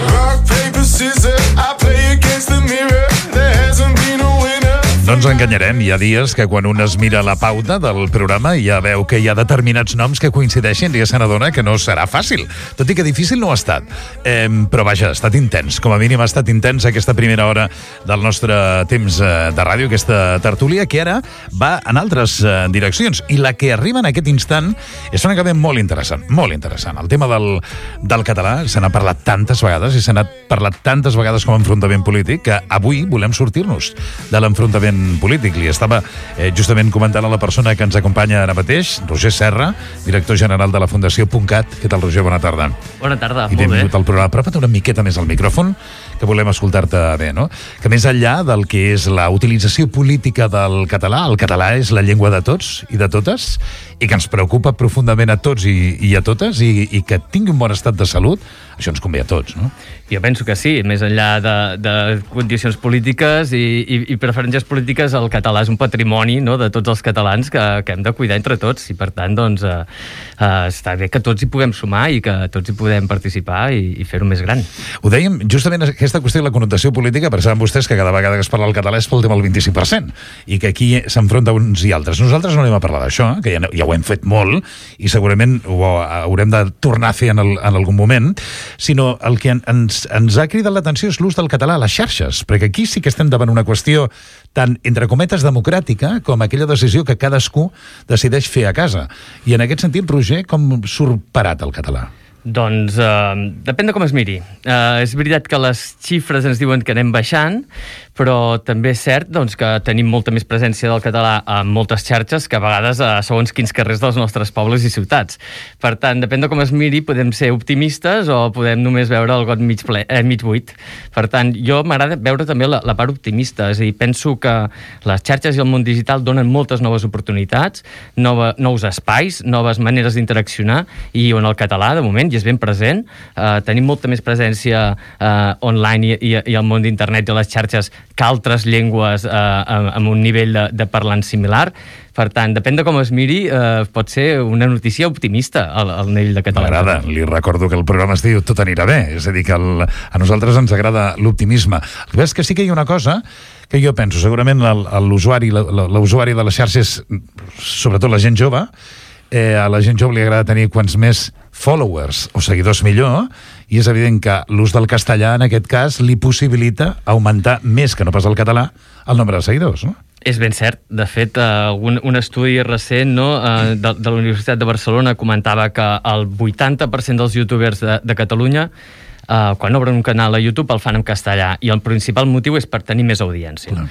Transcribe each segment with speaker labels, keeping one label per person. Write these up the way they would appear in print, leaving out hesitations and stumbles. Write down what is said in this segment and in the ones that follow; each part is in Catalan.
Speaker 1: Rock, paper, scissors, I play against the mirror. There hasn't been a winner.
Speaker 2: No ens enganyarem, hi ha dies que quan un es mira la pauta del programa ja veu que hi ha determinats noms que coincideixen i ja se n'adona que no serà fàcil, tot i que difícil no ha estat. Però vaja, ha estat intens, com a mínim ha estat intens aquesta primera hora del nostre temps de ràdio, aquesta tertúlia, que ara va en altres direccions. I la que arriba en aquest instant és una que ve molt interessant, molt interessant. El tema del català se n'ha parlat tantes vegades i se n'ha parlat tantes vegades com a enfrontament polític que avui volem sortir-nos de l'enfrontament polític. Li estava justament comentant a la persona que ens acompanya ara mateix, Roger Serra, director general de la Fundació .cat. Què tal, Roger? Bona tarda.
Speaker 3: Bona tarda,
Speaker 2: I
Speaker 3: molt bé.
Speaker 2: benvingut al programa. Apropa't una miqueta més al micròfon, que volem escoltar-te bé, no? Que més enllà del que és la utilització política del català, el català és la llengua de tots i de totes, i que ens preocupa profundament a tots i a totes, i que tingui un bon estat de salut, això ens convé a tots, no?
Speaker 3: Jo penso que sí, més enllà de condicions polítiques i preferències polítiques, el català és un patrimoni, no?, de tots els catalans que hem de cuidar entre tots, i per tant, doncs, està bé que tots hi puguem sumar i que tots hi podem participar i fer-ho més gran.
Speaker 2: Ho dèiem, justament aquesta qüestió de la connotació política, perquè saben vostès que cada vegada que es parla el català és pel tema del 25%, i que aquí s'enfronta uns i altres. Nosaltres no anem a parlar d'això, que ja ho hem fet molt, i segurament ho haurem de tornar a fer en algun moment, sinó el que ens ha cridat l'atenció és l'ús del català a les xarxes, perquè aquí sí que estem davant una qüestió tan, entre cometes, democràtica, com aquella decisió que cadascú decideix fer a casa. I en aquest sentit, Roger, com surt parat el català?
Speaker 3: Doncs depèn de com es miri. És veritat que les xifres ens diuen que anem baixant, però també és cert doncs, que tenim molta més presència del català en moltes xarxes que a vegades a segons quins carrers dels nostres pobles i ciutats. Per tant, depèn de com es miri, podem ser optimistes o podem només veure el got mig buit. Per tant, jo m'agrada veure també la part optimista, és a dir, penso que les xarxes i el món digital donen moltes noves oportunitats, nous espais, noves maneres d'interaccionar, i on el català, de moment, ja és ben present. Tenim molta més presència online i al món d'internet i a les xarxes que altres llengües amb un nivell de parlant similar. Per tant, depèn de com es miri, pot ser una notícia optimista al nivell de català.
Speaker 2: M'agrada, li recordo que el programa es diu Tot anirà bé, és a dir, que a nosaltres ens agrada l'optimisme. El que és que sí que hi ha una cosa que jo penso, segurament l'usuari de les xarxes, sobretot la gent jove, a la gent jove li agrada tenir quants més followers o seguidors millor, i és evident que l'ús del castellà en aquest cas li possibilita augmentar més que no pas el català el nombre de seguidors, no?
Speaker 3: És ben cert. De fet, un estudi recent de la Universitat de Barcelona comentava que el 80% dels youtubers de Catalunya, quan obren un canal a YouTube, el fan en castellà, i el principal motiu és per tenir més audiència.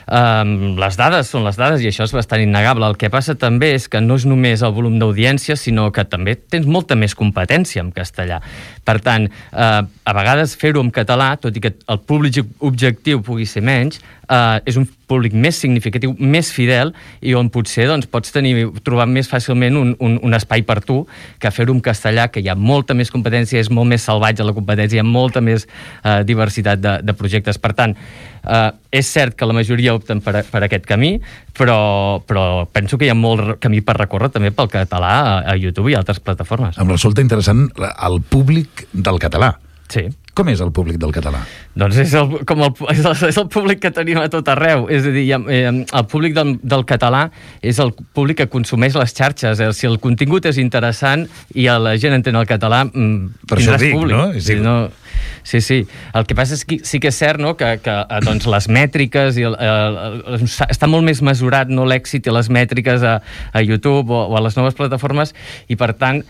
Speaker 3: Les dades són les dades i això és bastant innegable. El que passa també és que no és només el volum d'audiència, sinó que també tens molta més competència en castellà. Per tant, a vegades fer-ho en català, tot i que el públic objectiu pugui ser menys, és un públic més significatiu, més fidel, i on potser doncs, pots trobar més fàcilment un espai per tu que fer-ho en castellà, que hi ha molta més competència, és molt més salvatge la competència, hi ha molta més diversitat de projectes. Per tant, és cert que la majoria opten per aquest camí, però penso que hi ha molt camí per recórrer també pel català a YouTube i altres plataformes.
Speaker 2: Em resulta interessant el públic del català.
Speaker 3: Sí.
Speaker 2: Com és el públic del català?
Speaker 3: Doncs és el públic que tenim a tot arreu. És a dir, el públic del català és el públic que consumeix les xarxes. Si el contingut és interessant i la gent entén el català, tindràs públic. No? Sí. El que passa és que sí que és cert, no?, que doncs les mètriques està molt més mesurat, no, l'èxit i les mètriques a YouTube o a les noves plataformes, i per tant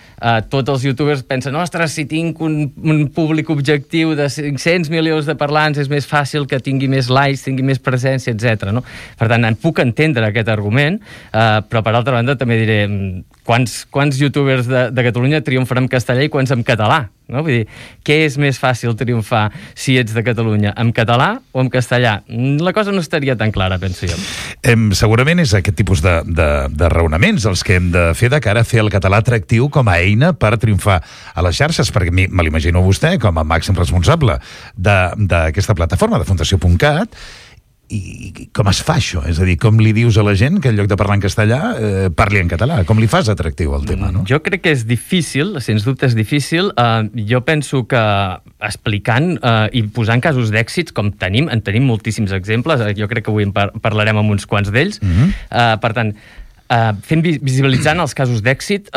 Speaker 3: tots els youtubers pensen, ostres, si tinc un públic objectiu de 500 milions de parlants és més fàcil que tingui més likes, tingui més presència, etc. No? Per tant, puc entendre aquest argument, però per altra banda també diré quants youtubers de Catalunya triomfen en castellà i quants en català? No? Vull dir, què és més fàcil triomfar si ets de Catalunya, en català o en castellà? La cosa no estaria tan clara, penso jo.
Speaker 2: Segurament és aquest tipus de raonaments els que hem de fer de cara a fer el català atractiu com a eina per triomfar a les xarxes, perquè me l'imagino vostè com a màxim responsable d'aquesta plataforma, de Fundació .cat, I com es fa això? És a dir, com li dius a la gent que en lloc de parlar en castellà parli en català? Com li fas atractiu el tema, no?
Speaker 3: Jo crec que és difícil, sens dubte és difícil. Jo penso que explicant i posant casos d'èxits, com en tenim moltíssims exemples, jo crec que avui en parlarem amb uns quants d'ells. Per tant, visibilitzant els casos d'èxit,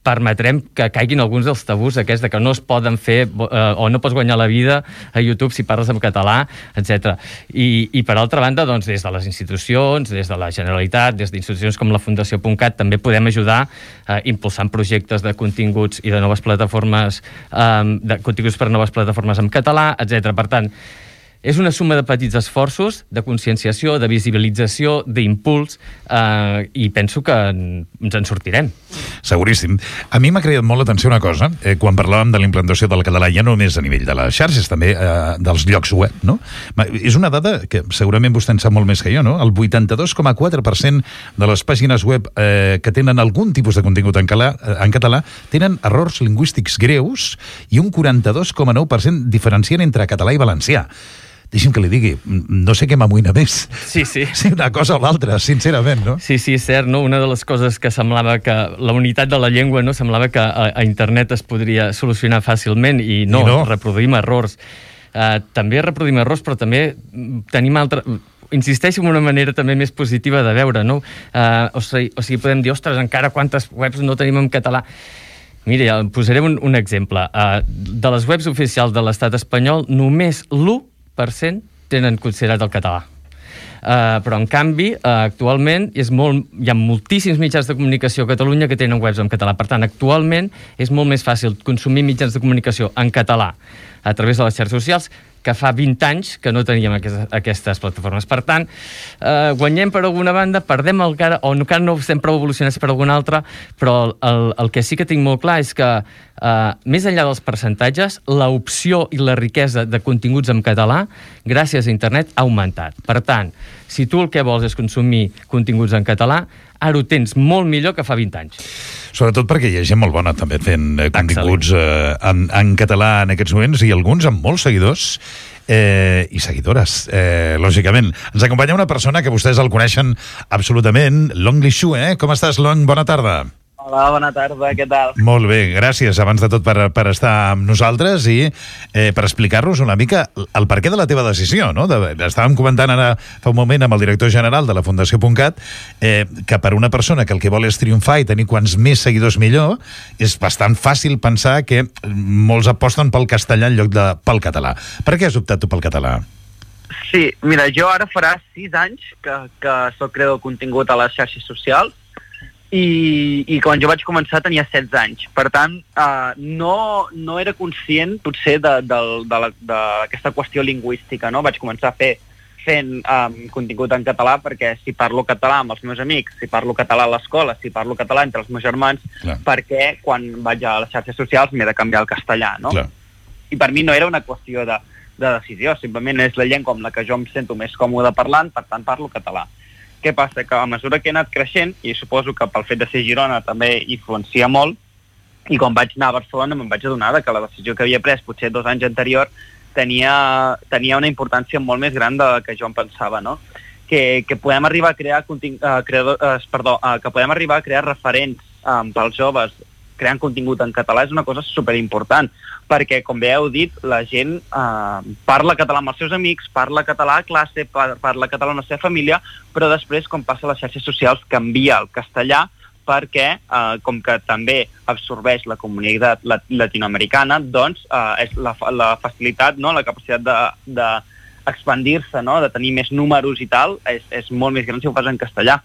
Speaker 3: permetrem que caiguin alguns dels tabús aquests de que no es poden fer o no pots guanyar la vida a YouTube si parles en català, etc. I per altra banda, doncs, des de les institucions, des de la Generalitat, des d'institucions com la Fundació.cat, també podem ajudar impulsant projectes de continguts i de noves plataformes, de continguts per a noves plataformes en català, etc. Per tant, és una suma de petits esforços, de conscienciació, de visibilització, d'impuls, i penso que ens en sortirem.
Speaker 2: Seguríssim. A mi m'ha cridat molt l'atenció una cosa, quan parlàvem de la implantació del català, ja no només a nivell de les xarxes, també dels llocs web, no? És una dada que segurament vostè en sap molt més que jo, no? El 82,4% de les pàgines web que tenen algun tipus de contingut en català tenen errors lingüístics greus i un 42,9% diferencien entre català i valencià. Deixi'm que li digui, no sé què m'amoïna més.
Speaker 3: Sí.
Speaker 2: Sí, una cosa o l'altra, sincerament, no?
Speaker 3: Sí, és cert, no? Una de les coses que semblava que la unitat de la llengua, no? Semblava que a internet es podria solucionar fàcilment i no. Reproduïm errors. També reproduïm errors, però també tenim insisteixo en una manera també més positiva de veure, no? O sigui, podem dir, ostres, encara quantes webs no tenim en català. Mira, posaré un exemple. De les webs oficials de l'estat espanyol, només l'1% tenen considerat el català. Però, en canvi, actualment hi ha moltíssims mitjans de comunicació a Catalunya que tenen webs en català. Per tant, actualment és molt més fàcil consumir mitjans de comunicació en català a través de les xarxes socials que fa 20 anys que no teníem aquestes plataformes. Per tant, guanyem per alguna banda, perdem encara, o encara no estem prou evolucionats per alguna altra, però el que sí que tinc molt clar és que, més enllà dels percentatges, l'opció i la riquesa de continguts en català, gràcies a internet, ha augmentat. Per tant, si tu el que vols és consumir continguts en català, ara ho tens molt millor que fa 20 anys.
Speaker 2: Sobretot perquè hi ha gent molt bona també fent continguts en català en aquests moments i alguns amb molts seguidors i seguidores, lògicament. Ens acompanya una persona que vostès el coneixen absolutament, Long Lishu, Com estàs, Long? Bona tarda.
Speaker 4: Hola, bona tarda, què tal?
Speaker 2: Molt bé, gràcies abans de tot per estar amb nosaltres i per explicar-nos una mica el perquè de la teva decisió, no? Estàvem comentant ara fa un moment amb el director general de la Fundació.cat que per una persona que el que vol és triomfar i tenir quants més seguidors millor, és bastant fàcil pensar que molts aposten pel castellà en lloc de pel català. Per què has optat tu pel català?
Speaker 4: Sí, mira, jo ara farà 6 anys que soc creador de contingut a les xarxes socials i quan jo vaig començar tenia 16 anys. Per tant, no era conscient, potser, d'aquesta qüestió lingüística, no? Vaig començar fent contingut en català perquè si parlo català amb els meus amics, si parlo català a l'escola, si parlo català entre els meus germans, perquè quan vaig a les xarxes socials m'he de canviar al castellà, no? Clar. I per mi no era una qüestió de decisió, simplement és la llengua amb la que jo em sento més còmode parlant, per tant parlo català. Què passa? Que a mesura que he anat creixent, i suposo que pel fet de ser Girona també influencia molt, i quan vaig anar a Barcelona me'n vaig adonar que la decisió que havia pres potser 2 anys anterior tenia una importància molt més gran de la que jo em pensava, no? Que podem arribar a crear que podem arribar a crear referents pels joves creant contingut en català és una cosa superimportant, perquè, com bé heu dit, la gent parla català amb els seus amics, parla català a classe, parla català amb la seva família, però després, com passa a les xarxes socials, canvia el castellà perquè, com que també absorbeix la comunitat latinoamericana, doncs és la facilitat, no? La capacitat d'expandir-se, no? De tenir més números i tal, és molt més gran si ho fas en castellà.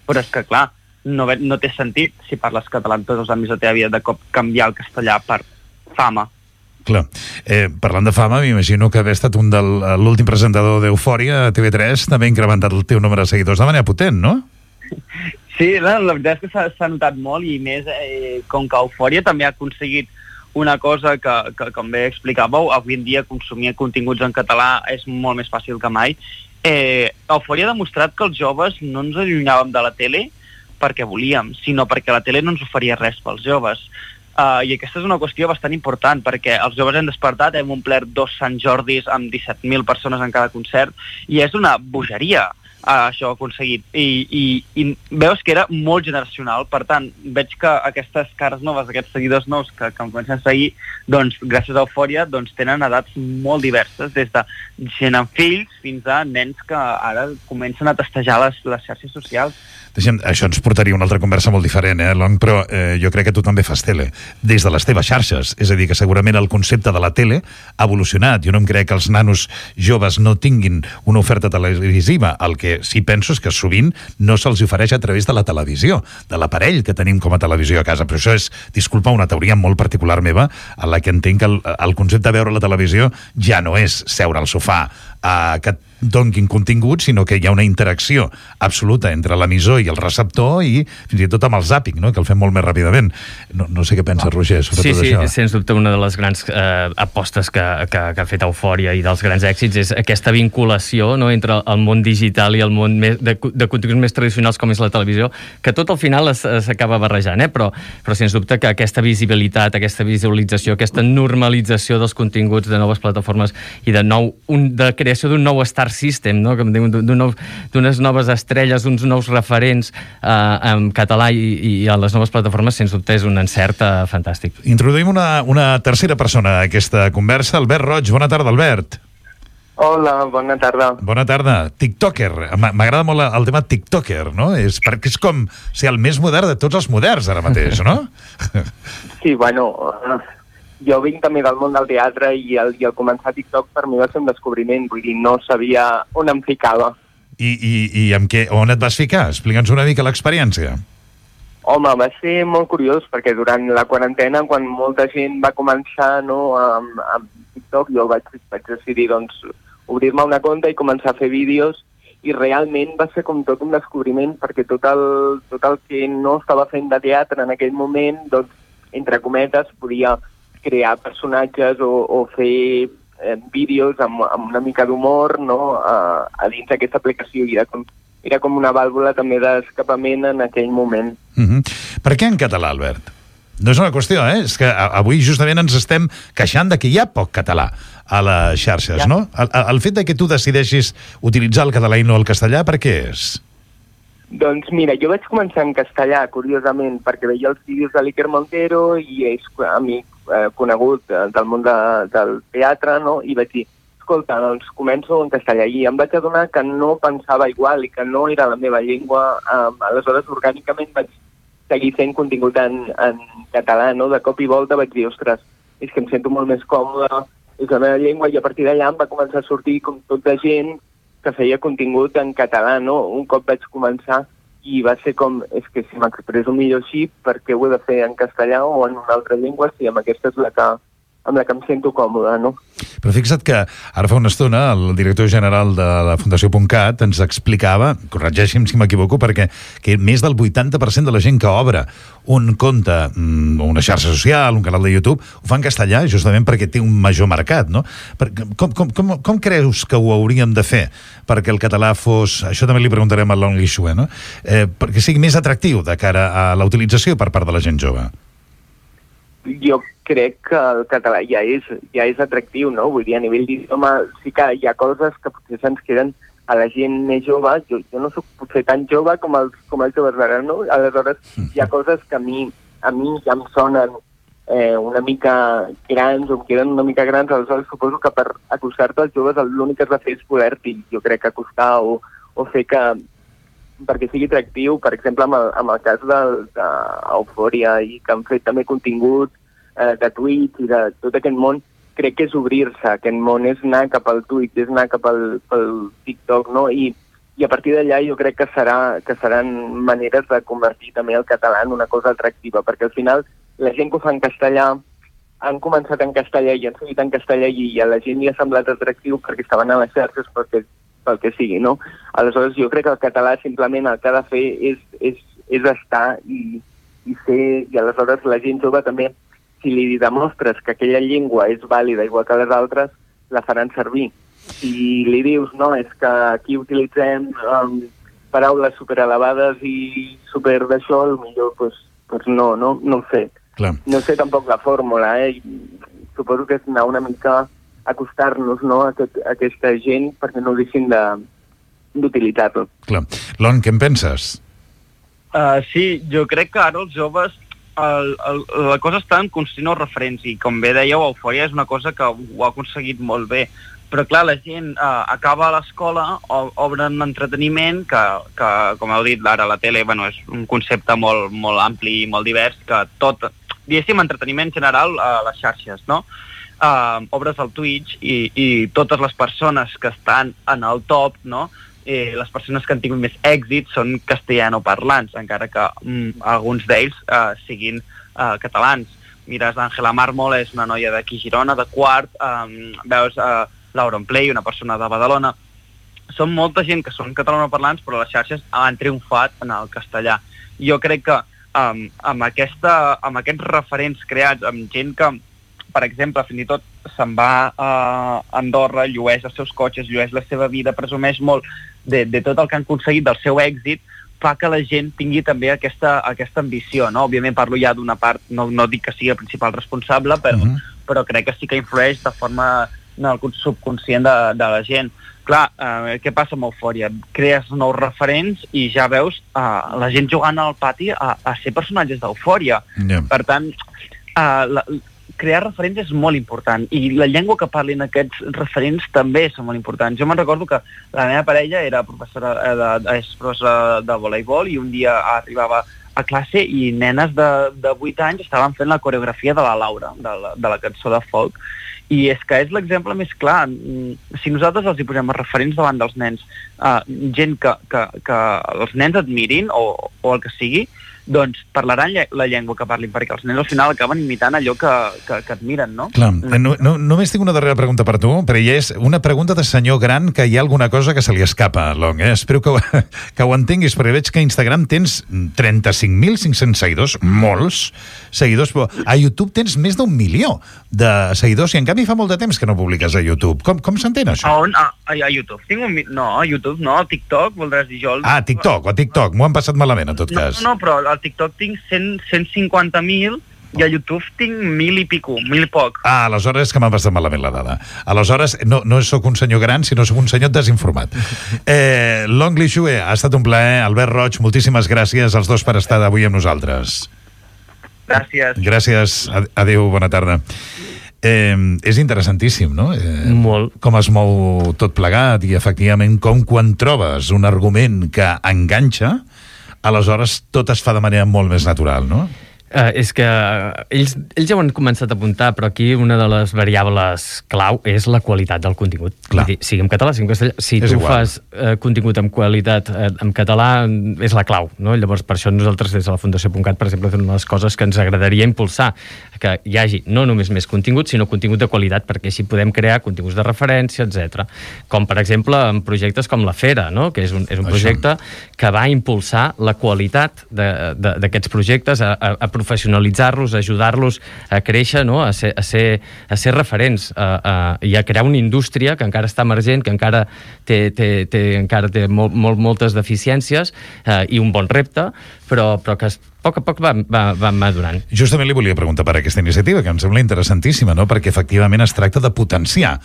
Speaker 4: Però és que, clar, no té sentit, si parles català en tots els àmbits de la teva vida, de cop canviar el castellà per fama.
Speaker 2: Clar. Parlant de fama, m'imagino que haver estat l'últim presentador d'Eufòria a TV3 també ha incrementat el teu número de seguidors de manera potent, no?
Speaker 4: Sí, la veritat és que s'ha notat molt, i més com que Eufòria també ha aconseguit una cosa que com bé explicàveu, avui en dia consumir continguts en català és molt més fàcil que mai. Eufòria ha demostrat que els joves no ens allunyàvem de la tele perquè volíem, sinó perquè la tele no ens oferia res pels joves. I aquesta és una qüestió bastant important, perquè els joves hem despertat, hem omplert 2 Sant Jordis amb 17.000 persones en cada concert, i és una bogeria això aconseguit. I veus que era molt generacional, per tant, veig que aquestes cares noves, aquests seguidors nous que em comencen a seguir, doncs, gràcies a Eufòria, doncs, tenen edats molt diverses, des de gent amb fills fins a nens que ara comencen a testejar les xarxes socials.
Speaker 2: Això ens portaria una altra conversa molt diferent, Long, però jo crec que tu també fas tele, des de les teves xarxes. És a dir, que segurament el concepte de la tele ha evolucionat. Jo no em crec que els nanos joves no tinguin una oferta televisiva. El que sí penso és que sovint no se'ls ofereix a través de la televisió, de l'aparell que tenim com a televisió a casa. Però això és, disculpa, una teoria molt particular meva, en la que entenc que el concepte de veure la televisió ja no és seure al sofà que et donguin contingut, sinó que hi ha una interacció absoluta entre l'emissor i el receptor i fins i tot amb el zàping, no? Que el fem molt més ràpidament. No sé què pensa Roger sobre tot això.
Speaker 3: Sí, sens dubte una de les grans apostes que ha fet Eufòria i dels grans èxits és aquesta vinculació, no?, entre el món digital i el món de continguts més tradicionals com és la televisió, que tot al final s'acaba barrejant, però sens dubte que aquesta visibilitat, aquesta visualització, aquesta normalització dels continguts de noves plataformes i de creació d'un nou star system, no?, d'unes noves estrelles, uns nous referents en català i a les noves plataformes, sens dubte és un encert fantàstic.
Speaker 2: Introduïm una tercera persona a aquesta conversa, Albert Roig. Bona tarda, Albert.
Speaker 5: Hola, bona tarda.
Speaker 2: Bona tarda. TikToker. M'agrada molt el tema TikToker, no? Perquè és com ser el més modern de tots els moderns ara mateix, no?
Speaker 5: Sí, bueno, jo vinc també del món del teatre i el començar TikTok per mi va ser un descobriment, vull dir, no sabia on em ficava.
Speaker 2: I amb què, on et vas ficar? Explica'ns una mica l'experiència.
Speaker 5: Home, va ser molt curiós, perquè durant la quarantena, quan molta gent va començar, no, amb TikTok, jo vaig decidir, doncs, obrir-me una compte i començar a fer vídeos, i realment va ser com tot un descobriment, perquè tot el que no estava fent de teatre en aquell moment, doncs, entre cometes, podia crear personatges o fer vídeos amb una mica d'humor, no?, a dins d'aquesta aplicació. Era com una vàlvula també d'escapament en aquell moment.
Speaker 2: Per què en català, Albert? No és una qüestió, és que avui justament ens estem queixant de que hi ha poc català a les xarxes, no? El fet de que tu decideixis utilitzar el català i no el castellà, per què és?
Speaker 5: Doncs mira, jo vaig començar en castellà, curiosament, perquè veia els vídeos de l'Iker Montero i és amic conegut del món del teatre, no? I vaig dir, escolta, doncs començo en castellà. I em vaig adonar que no pensava igual i que no era la meva llengua. Aleshores, orgànicament vaig seguir fent contingut en català, no? De cop i volta vaig dir, ostres, és que em sento molt més còmode, és la meva llengua, i a partir d'allà em va començar a sortir com tota gent que feia contingut en català, no? Un cop vaig començar i va ser com, és que si m'expresso millor així, per què ho he de fer en castellà o en una altra llengua, si amb aquesta és amb la que em sento còmode, no?
Speaker 2: Però fixa't que ara fa una estona el director general de la Fundació.cat ens explicava, corregeixi'm si m'equivoco, perquè que més del 80% de la gent que obre un compte, una xarxa social, un canal de YouTube, ho fa en castellà justament perquè té un major mercat, no? Com creus que ho hauríem de fer perquè el català fos, això també li preguntarem a Long Lixue, no? Perquè sigui més atractiu de cara a la utilització per part de la gent jove?
Speaker 5: Jo crec que el català ja és atractiu, no? Vull dir, a nivell d'idioma sí que hi ha coses que potser se'ns queden a la gent més jove. Jo no soc potser tan jove com els joves d'ara, no? Aleshores, hi ha coses que a mi ja em sonen una mica grans o em queden una mica grans. Aleshores, suposo que per acostar-te als joves l'únic que has de fer és poder-t'hi, jo crec, acostar o fer que perquè sigui atractiu, per exemple, amb el cas d'Eufòria i que han fet també contingut de Twitch i de tot aquest món, crec que és obrir-se. Aquest món és anar cap al Twitch, és anar cap al TikTok, no? I a partir d'allà jo crec que seran maneres de convertir també el català en una cosa atractiva, perquè al final la gent que ho fa en castellà han començat en castellà i han seguit en castellà i a la gent li ha semblat atractiu perquè estaven a les xarxes pel que sigui, no? Aleshores, jo crec que el català simplement el que ha de fer és estar i ser, i aleshores la gent jove també, si li demostres que aquella llengua és vàlida igual que les altres, la faran servir. Si li dius, no, és que aquí utilitzem paraules superelevades i super d'això, potser no ho sé.
Speaker 2: Clar.
Speaker 5: No sé tampoc la fórmula, Suposo que és anar una mica acostar-nos, no, a aquesta gent perquè no deixin d'utilitzar-lo.
Speaker 2: Clar. Lon, què en penses?
Speaker 4: Sí, jo crec que ara els joves la cosa està en construir nous referents i com bé dèieu, Eufòria és una cosa que ho ha aconseguit molt bé, però clar, la gent acaba a l'escola, obren entreteniment que com heu dit ara, la tele és un concepte molt, molt ampli i molt divers, que tot, diguéssim, entreteniment general a les xarxes, no? Obres el Twitch i totes les persones que estan en el top, no? Les persones que han tingut més èxit són castellanoparlants, encara que alguns d'ells siguin catalans. Mires, Àngela Mármol és una noia d'aquí Girona, de Quart, veus l'Auronplay, una persona de Badalona. Són molta gent que són catalanoparlants, però les xarxes han triomfat en el castellà. Jo crec que amb aquests referents creats, amb gent que, per exemple, fins i tot se'n va a Andorra, llueix els seus cotxes, llueix la seva vida, presumeix molt de tot el que han aconseguit, del seu èxit, fa que la gent tingui també aquesta ambició, no? Òbviament parlo ja d'una part, no dic que sigui el principal responsable, però crec que sí que influeix de forma en el subconscient de la gent. Clar, què passa amb Eufòria? Crees nous referents i ja veus la gent jugant al pati a ser personatges d'Eufòria. Per tant, crear referents és molt important i la llengua que parlin aquests referents també són molt importants. Jo me'n recordo que la meva parella és professora de voleibol i un dia arribava a classe i nenes de 8 anys estaven fent la coreografia de la Laura, de la cançó de folk. I és que és l'exemple més clar. Si nosaltres els hi posem referents davant dels nens, gent que els nens admirin o el que sigui, doncs parlaran la llengua que parlin, perquè els nens al final acaben imitant allò que admiren, no?
Speaker 2: Clar, només tinc una darrera pregunta per tu, però ja és una pregunta de senyor gran que hi ha alguna cosa que se li escapa, Long, Espero que ho entenguis, perquè veig que a Instagram tens 35.500 seguidors, molts seguidors, però a YouTube tens més d'1 milió de seguidors i en canvi fa molt de temps que no publiques a YouTube. Com s'entén això?
Speaker 4: A on? A YouTube. A YouTube no, a TikTok, voldràs dir jo.
Speaker 2: A TikTok, m'ho han passat malament en tot cas.
Speaker 4: No, però al TikTok tinc 150.000 i a YouTube tinc 1.000 i pico, 1.000 i poc.
Speaker 2: Aleshores és que m'ha passat malament la dada. Aleshores no sóc un senyor gran, sinó sóc un senyor desinformat. Long Li Xue, ha estat un plaer. Albert Roig, moltíssimes gràcies als dos per estar avui amb nosaltres.
Speaker 4: Gràcies.
Speaker 2: Gràcies, adéu, bona tarda. És interessantíssim, no?
Speaker 3: Molt.
Speaker 2: Com es mou tot plegat i efectivament com quan trobes un argument que enganxa, aleshores tot es fa de manera molt més natural, no?
Speaker 3: És que ells ja ho han començat a apuntar, però aquí una de les variables clau és la qualitat del contingut. Vull dir, sigui en català, sigui en castellà. Si tu fas contingut amb qualitat en català, és la clau, no? Llavors, per això nosaltres des de la Fundació.cat, per exemple, fem una de les coses que ens agradaria impulsar, que hi hagi no només més contingut, sinó contingut de qualitat, perquè així podem crear continguts de referència, etc. Com, per exemple, en projectes com la Fera, no? Que és un projecte que va impulsar la qualitat d'aquests projectes, a professionalitzar-los, a ajudar-los a créixer, no? a ser referents i a crear una indústria que encara està emergent, que encara té moltes deficiències i un bon repte, però que a poc va madurant.
Speaker 2: Justament li volia preguntar per aquesta iniciativa, que em sembla interessantíssima, no? Perquè efectivament es tracta de potenciar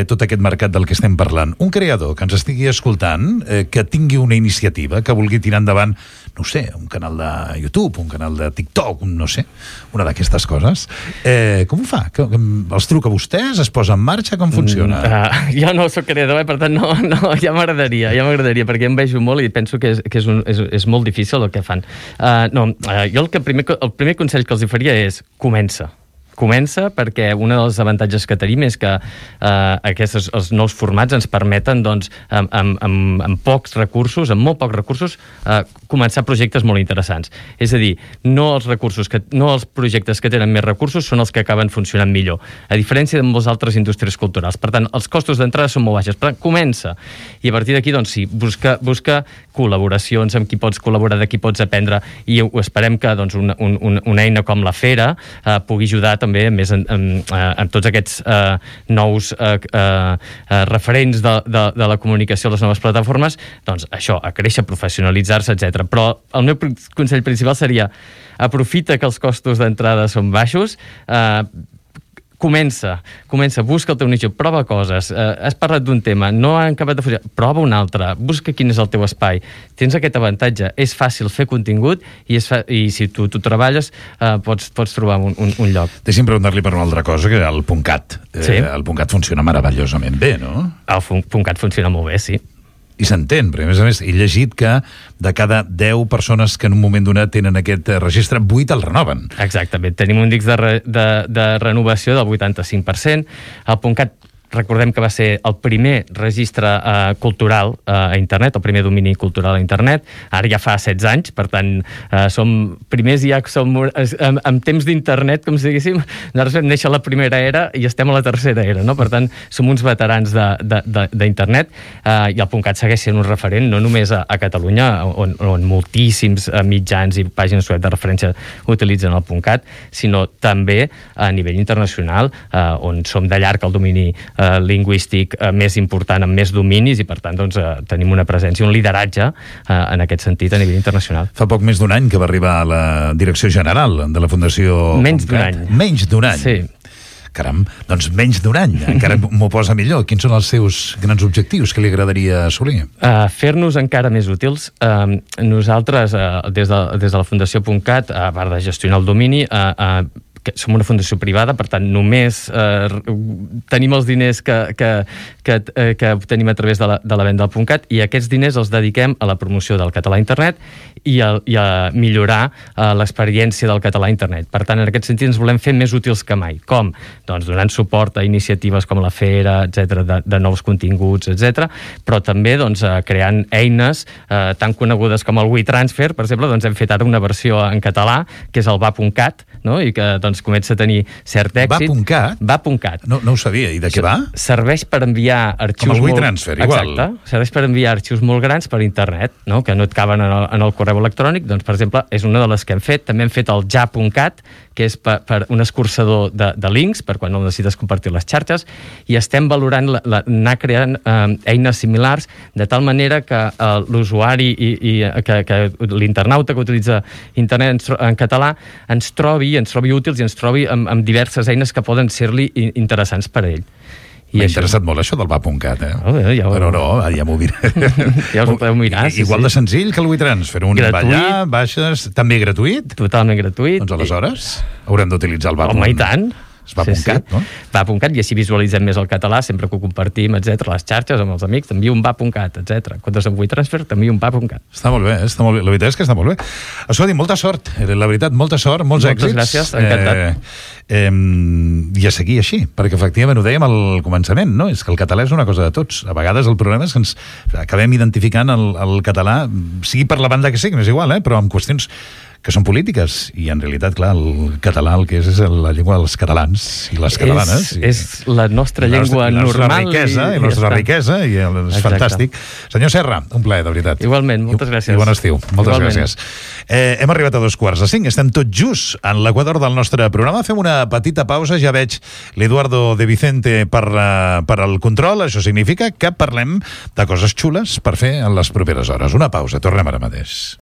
Speaker 2: tot aquest mercat del que estem parlant. Un creador que ens estigui escoltant, que tingui una iniciativa, que vulgui tirar endavant, no sé, un canal de YouTube, un canal de TikTok, no sé, una d'aquestes coses, com ho fa? Els truca a vostès? Es posa en marxa? Com funciona?
Speaker 3: Jo no soc creador, per tant, no, ja m'agradaria, perquè em vejo molt i penso que és molt difícil el que fan. Jo el primer consell que els faria és comença perquè un dels avantatges que tenim és que els nous formats ens permeten, doncs, amb pocs recursos, amb molt pocs recursos, començar projectes molt interessants. És a dir, no els projectes que tenen més recursos són els que acaben funcionant millor, a diferència de moltes altres indústries culturals. Per tant, els costos d'entrada són molt baixos. Per tant, comença. I a partir d'aquí, doncs sí, busca col·laboracions amb qui pots col·laborar, de qui pots aprendre, i esperem que doncs, una eina com la Fera pugui ajudar també també més amb tots aquests nous referents de la comunicació a les noves plataformes, doncs això, a créixer, professionalitzar-se, etc. Però el meu consell principal seria aprofita que els costos d'entrada són baixos, comença, busca el teu nicho, prova coses, has parlat d'un tema, no ha acabat de funcionar, prova un altre, busca quin és el teu espai, tens aquest avantatge, és fàcil fer contingut i si tu treballes pots trobar un lloc.
Speaker 2: Deixi'm preguntar-li per una altra cosa, que el .cat.
Speaker 3: Sí.
Speaker 2: El .cat funciona meravellosament bé, no?
Speaker 3: El .cat funciona molt bé, sí.
Speaker 2: I s'entén, perquè a més he llegit que de cada 10 persones que en un moment donat tenen aquest registre, 8 el renoven.
Speaker 3: Exactament, tenim un índex de renovació del 85%. El .cat, recordem que va ser el primer registre cultural a internet, el primer domini cultural a internet, ara ja fa 16 anys, per tant som primers, ja som en temps d'internet, com si diguéssim, nosaltres vam néixer a la primera era i estem a la tercera era, no? Per tant, som uns veterans d'internet, i el .cat segueix sent un referent no només a Catalunya, on moltíssims mitjans i pàgines web de referència utilitzen el .cat, sinó també a nivell internacional, on som de llarg el domini lingüístic més important, amb més dominis, i per tant doncs, tenim una presència, un lideratge en aquest sentit a nivell internacional.
Speaker 2: Fa poc més d'un any que va arribar a la direcció general de la Fundació
Speaker 3: Menys d'un any.
Speaker 2: Menys d'un any?
Speaker 3: Sí.
Speaker 2: Caram, doncs menys d'un any, encara m'ho posa millor. Quins són els seus grans objectius que li agradaria assolir?
Speaker 3: Fer-nos encara més útils. Nosaltres, des de la Fundació .cat, a part de gestionar el domini, que som una fundació privada, per tant només tenim els diners que obtenim a través de la venda del .cat, i aquests diners els dediquem a la promoció del català a internet i a millorar l'experiència del català a internet. Per tant, en aquest sentit ens volem fer més útils que mai. Com? Doncs donant suport a iniciatives com la Fera, etc, de nous continguts, etc, però també doncs, creant eines tan conegudes com el WeTransfer, per exemple, doncs hem fet ara una versió en català, que és el va.cat, no? I que doncs, comença a tenir cert èxit.
Speaker 2: Va.cat? No ho sabia. I de què va?
Speaker 3: Serveix per enviar arxius...
Speaker 2: Com el WeTransfer, igual.
Speaker 3: Exacte. Serveix per enviar arxius molt grans per internet, no? Que no et caben en el correu electrònic. Doncs, per exemple, és una de les que hem fet. També hem fet el ja.cat, que és per un escurçador de links, per quan no necessites compartir les xarxes, i estem valorant anar creant eines similars, de tal manera que l'usuari que l'internauta que utilitza internet en català ens trobi útils i ens trobi amb diverses eines que poden ser-li interessants per a ell.
Speaker 2: M'ha interessat molt això del va.cat,
Speaker 3: Però
Speaker 2: ja m'ho miré.
Speaker 3: Ja us ho podeu mirar, sí.
Speaker 2: Igual de senzill que el WeTransfer. Un ballar, baixes, també gratuït?
Speaker 3: Totalment gratuït.
Speaker 2: Doncs aleshores haurem d'utilitzar el va.cat.
Speaker 3: Home, i tant.
Speaker 2: Va.cat, no?
Speaker 3: Va.cat, i així visualitzem més el català, sempre que ho compartim, etc, les xarxes, amb els amics, t'envio un va.cat, etc. Quan és amb WeTransfer, t'envio un va.cat.
Speaker 2: Està molt bé, està molt bé. La veritat és que està molt bé. Escolti, molta sort, la veritat, molta sort, molts èxits.
Speaker 3: Moltes gràcies, encantat.
Speaker 2: I a seguir així, perquè efectivament ho dèiem al començament, no? És que el català és una cosa de tots. A vegades el problema és que ens acabem identificant el català, sigui per la banda que sigui, m'és igual, però amb qüestions que són polítiques, i en realitat, clar, el català el que és la llengua dels catalans i les catalanes.
Speaker 3: És la nostra llengua normal.
Speaker 2: I la nostra riquesa, i és fantàstic. Senyor Serra, un plaer, de veritat.
Speaker 3: Igualment, moltes gràcies.
Speaker 2: I bon estiu, moltes gràcies. Hem arribat a 2:45, estem tot just en l'equador del nostre programa. Fem una petita pausa, ja veig l'Eduardo de Vicente per al control. Això significa que parlem de coses xules per fer en les properes hores. Una pausa, tornem ara mateix.